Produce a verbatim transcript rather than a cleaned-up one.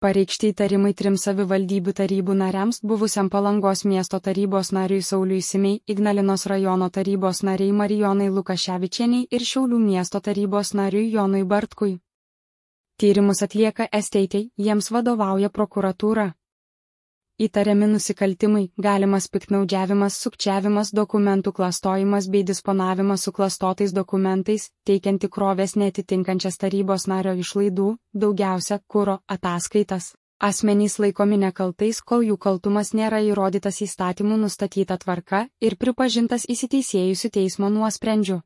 Pareikšti įtarimai trim savivaldybių tarybų nariams, buvusiam Palangos miesto tarybos nariui Sauliui Simei, Ignalinos rajono tarybos nariai Marijonai Lukaševičienei ir Šiaulių miesto tarybos nariui Jonui Bartkui. Tyrimus atlieka S T T, jiems vadovauja prokuratūra. Įtariami nusikaltimai, galimas piktnaudžiavimas, sukčiavimas, dokumentų klastojimas bei disponavimas suklastotais dokumentais, teikiant tikrovės neatitinkančias tarybos nario išlaidų, daugiausia kuro ataskaitas. Asmenys laikomi nekaltais, kol jų kaltumas nėra įrodytas įstatymų nustatyta tvarka ir pripažintas įsiteisėjusiu teismo nuosprendžiu.